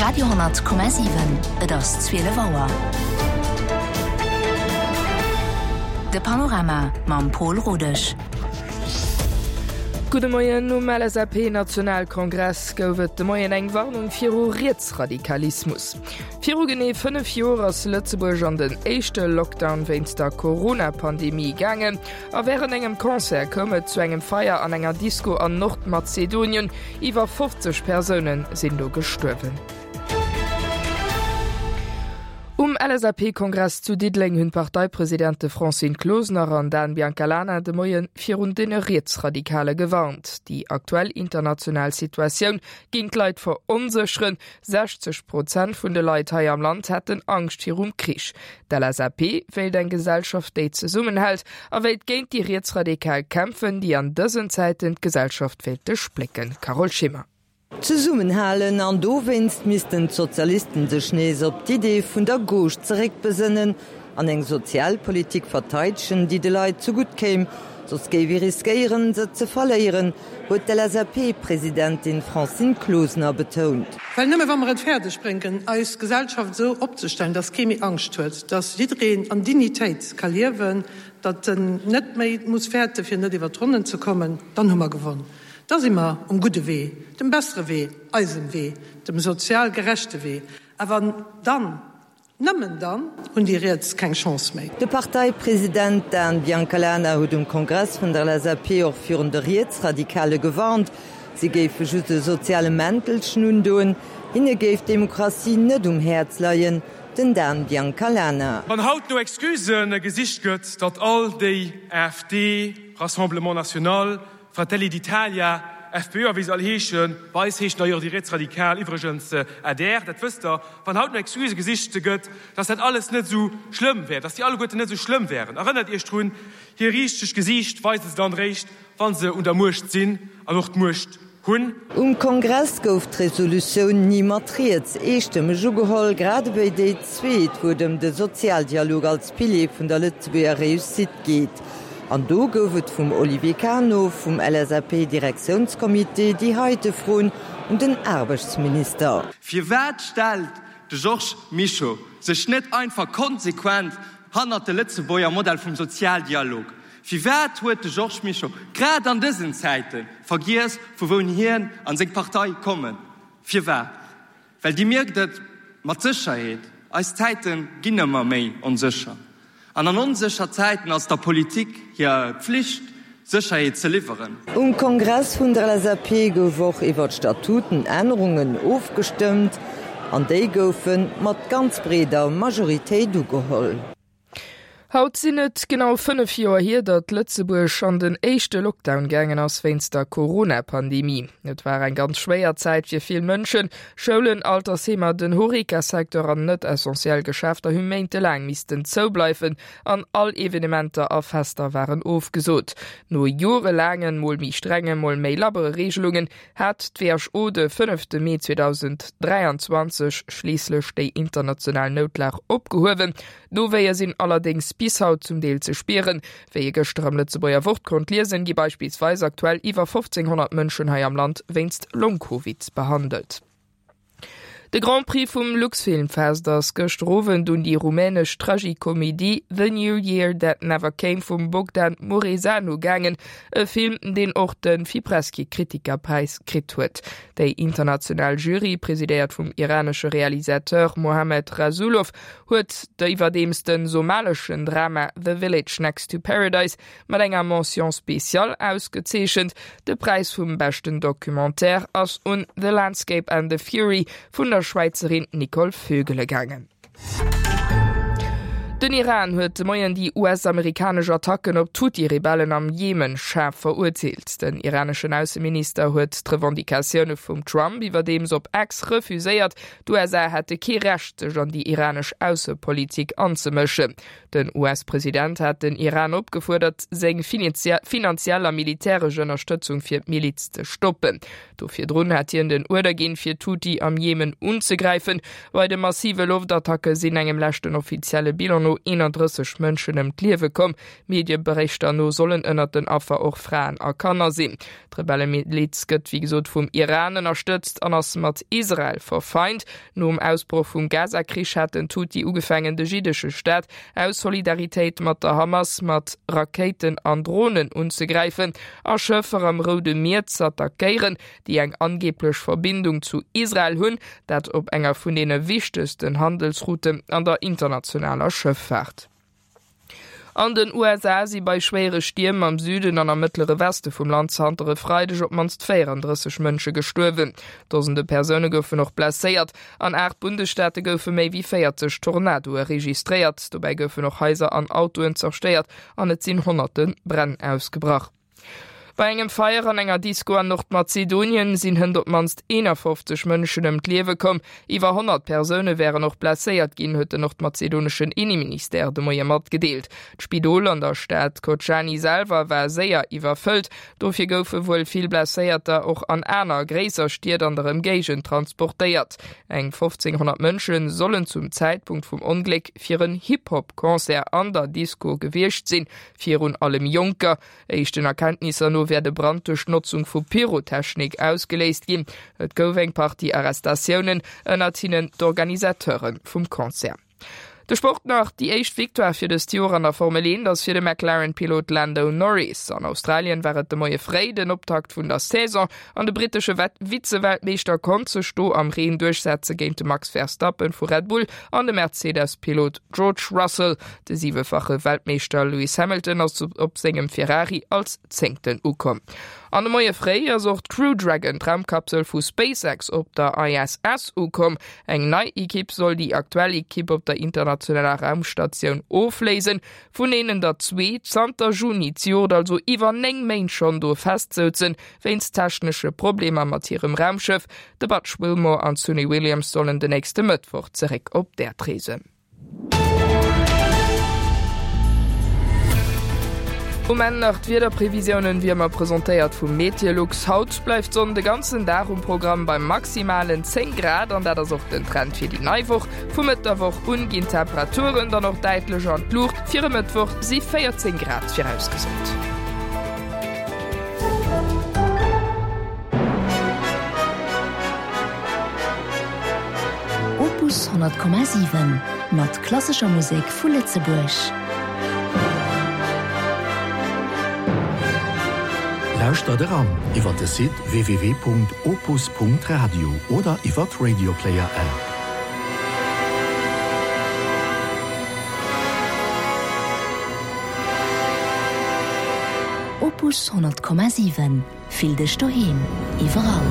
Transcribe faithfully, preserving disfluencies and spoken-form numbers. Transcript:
Radio honnert Komma siwen, Et ass zwielef Auer. De Panorama mam Pol Rodesch. Gudde Moien, Um L S A P-Nationalkongress gouf et de Moien eng Warnung viru Rietsradikalismus. Viru genee fënnef Joer ass Lëtzebuerg an den éischte Lockdown wéinst der Corona-Pandemie gaangen. A wärend engem Concert koum et zu engem Feier an enger Disco an Nordmazedonien. Iwwer fofzeg Persoune sinn do gestuerwen. Um L S A P-Kongress zu Diddeleng hunn d'Parteipresidente Francine Closener an Dan Biancalana de Moie virun de Rietsradikale gewarnt. Déi aktuell international Situatioun géing d'Leit veronsécheren. sechzeg Prozent vun de Leit hei am Land hätten Angscht virum Krich. D'L S A P wéilt eng Gesellschaft, déi zesummenhält, a wéilt géint déi Rietsradikal kämpfen, déi an dësen Zäiten d'Gesellschaft wéilte splécken. Carole Schimmer. Zesummenhalen an dowéinst missten d'Sozialisten sech nees op d'Idee vun der Gauche zeréckbesënnen an eng Sozialpolitik verteidegen, déi de Leit zegutt kéim, soss géif ee riskéieren, se ze verléieren, huet d'L S A P-Presidentin Francine Closener betount. Well nëmme wa mer et fäerdeg bréngen, eis Gesellschaft esou opzestellen, datt kee méi Angscht huet, datt jiddereen an Dignitéit ka liewen, datt en net méi muss fäerte fir net iwwer d'Ronnen ze kommen, dann hu mer gewonn. Da si mer um gudde Wee, dem bessere Wee, eisem Wee, dem sozial gerechte Wee. Awer dann, nëmmen dann, hunn déi Riets keng Chance méi. De Parteipresident Dan Biancalana huet um Kongress vun der L S A P och virun de Rietsradikale gewarnt. Si géife just e soziale Mäntelchen undoen, hinne géif d'Demokratie net um Häerz leien, den Dan Biancalana. Wann haut no Excusë gesicht gëtt, datt all déi A F D, Rassemblement National, Fratelli d'Italia, F P Ö a wéi se all heeschen, bei eis heeschen d'ailleurs déi Rietsradikal iwwregens A D R, dat wësst Der, wann haut no Excusë gesicht gëtt, datt dat alles net esou schlëmm wär, datt déi alleguerten net esou schlëmm wären, erënnert Iech drun, hir richtegt Gesiicht weise se dann eréischt, wa se un der Muecht sinn an och d'Muecht hunn. Um Kongress gouf d'Resolutioun Ni mat riets eestëmmeg ugeholl, grad ewéi déi zweet, wou et ëm de Sozialdialog als Pilier vun der Lëtzebuerger Réussite geet. An do gouf et vum Olivier Cano vum L S A P-Direktiounskommitee déi heite Froen un den Aarbechtsminister. Firwat stellt de Georges Mischo sech net einfach konsequent hannert de Lëtzebuerger Modell vum Sozialdialog? Firwat huet de Georges Mischo grad an dësen Zäite vergiess, vu wou hien a seng Partei kommen? Firwat? Well Dir mierkt et mat Sécherheet, eis Zäite ginn ëmmer méi onsécher. An an onsécher Zäiten ass der Politik hir Pflicht, Sécherheet ze liwweren. Um Kongress vun der L S A P gouf och iwwer d'Statutenännerungen ofgestëmmt an déi goufe mat ganz breeder Majoritéit ugeholl. Haut sinn et genau fënnef Joer hier, datt Lëtzebuerg an den éischte Lockdown gaangen ass wéinst der Corona-Pandemie. Et war eng ganz schwéier Zäit fir vill Mënschen. Schoulen, Altersheemer, den Horeca-Secteur an net essentiell Geschäfter hu méintelaang missten zoubleiwen an all Evenementer a Fester waren ofgesot. No jorelaangen, mol méi strengen, mol méi labbere Reegelungen hat d'W H O de fënnefte Mee zweedausend dräianzwanzeg schliisslech déi international Noutlag opgehuewen. D'Nowéie sinn allerdéngs bis haut zum Deel ze spieren. Wéi ee gëschter am Lëtzebuerger Wort konnt liesen, gi beispillsweis aktuell iwwer fofzénghonnert Mënschen hei am Land wéinst Long-Covid behandelt. De Grand Prix vum Luxfilmfest ass gëschter Owend un déi rumänesch Tragikomedie The New Year That Never Came vum Bogdan Mureșanu gaangen, e Film, deen och de Fipresci Kritikerpräis kritt huet. Déi international Jury, presidéiert vum iranesche Realisateur Mohammad Rasoulof, huet iwwerdeems de somaleschen Drama The Village Next to Paradise mat enger Mention spéciale ausgezeechent. De Präis vum beschten Documentaire ass un The Landscape and the Fury vun der Schwäizerin Nicole Vögele gaangen. Den Iran huet de Moien déi U S-amerikanesch Attacken op d'Huthi-Rebellen am Jemen schaarf verurteelt. Den iraneschen Ausseminister huet d'Revendicatioune vum Trump iwwerdeems op X refuséiert. D'U S A hätte kee Recht, sech an déi iranesch Aussepolitik anzemëschen. Den U S-President hat den Iran opgefuerdert, seng finanziell a militäresch Ënnerstëtzung fir d'Miliz ze stoppen. Do virdrun hat hien den Uerder ginn, fir d'Huthi am Jemen unzegräifen. Bei de massive Loftattacke sinn engem leschten offizielle Bilan no no eenandrësseg Mënschen ëm d'Liewe komm. Medieberichter no sollen ënnert den Affer och Fraen a Kanner sinn. D'Rebellemiliz gëtt wéi gesot vum Iran ënnerstëtzt an ass mat Israel verfeint. Nom Ausbroch vum Gaza-Krich haten d'Huthi ugefaangen de jiddesche Staat aus Solidaritéit mat der Hamas mat Rakéiten an Dronen unzegräifen a Schëffer am Roude Mier z'attackéieren, déi eng angeeblech Verbindung zu Israel hunn, dat op enger vun deene wichtegsten Handelsrouten an der internationaler Schëffaart. An den U S A si bei schwéiere Stierm am Süden an am Mëttlere Weste vum Land zanter e Freideg op d'mannst véierandrësseg Mënsche gestuerwen. Dosende Persoune goufen och blesséiert. An aacht Bundesstaate goufe méi wéi véierzeg Tornadoe registréiert. Dobäi goufen och Haiser an Autoen zerstéiert an et sinn honnerte Bränn ausgebrach. Bei engem Feier an enger Disco an Nordmazedonien sinn hënt op d'mannst eenafofzeg Mënschen ëm d'Liewe komm. Iwwer honnert Persoune wären och blesséiert ginn, huet den nordmazedoneschen Inneministère de Moie matgedeelt. D'Spidol an der Stad Kocani selwer war séier iwwerfëllt. Dofir goufe wuel vill Blesséierter och an aner gréisser Stied an der Ëmgéigend transportéiert. Eng fofzénghonnert Mënsche sollen zum Zäitpunkt vum Ongléck fir en Hip-Hop-Concert an der Disco gewiescht sinn, virun allem Jonker. Éischten Erkenntnisser no wär de Brand duerch d'Notzung vu Pyrotechnik ausgeléist ginn. Et gouf eng Partie Arrestatiounen, ënnert hinnen d'Organisateure vum Concert. De Sport nach, Déi éischt Victoire fir dëst Joer an der Formel eent ass fir de McLaren-Pilot Lando Norris. An Australien war et de Moie fréi den Optakt vun der Saison an de brittesche Vize-Weltmeeschter konnt sech do am Reen duerchsetze géint de Max Verstappen vu Red Bull an de Mercedes-Pilot George Russell. De siwefache Weltmeeschter Lewis Hamilton ass op sengem Ferrari als Zéngten ukomm. An de Moie fréi ass och d'Crew Dragon, d'Raumkapsel vu SpaceX, op der I S S ukomm. Eng nei Ekipp soll déi aktuell Ekipp op der internationaler Raumstatioun ofléisen, vun deenen der zwee zanter Juni zejoert, also iwwer néng Méint schonn do festsouzen, wéinst technesche Problemer mat hirem Raumschëff. De Butch Wilmore an d'Suni Williams sollen den nächste Mëttwoch zeréck op d'Äerd reesen. Um Enn nach d'Wiederprevisiounen, wéi ëmmer presentéiert vu Meteolux. Haut bleift d'Sonn de ganzen Dag um Programm bei maximalen zéng Grad an dat ass och den Trend fir déi nei Woch. Vu Mëtt der Woch un ginn d'Temperaturen dann och däitlech an d'Luucht, fir e Mëttwoch si véierzéng Grad virausgesot. Opus honnert Komma siwen mat klassescher Musek vu Lëtzebuerg. Lauschtert eran iwwer de Site w w w Punkt opus Punkt radio oder iwwer d'Radioplayer App. Opus honnert Komma siwen, Fill dech doheem, iwwerall.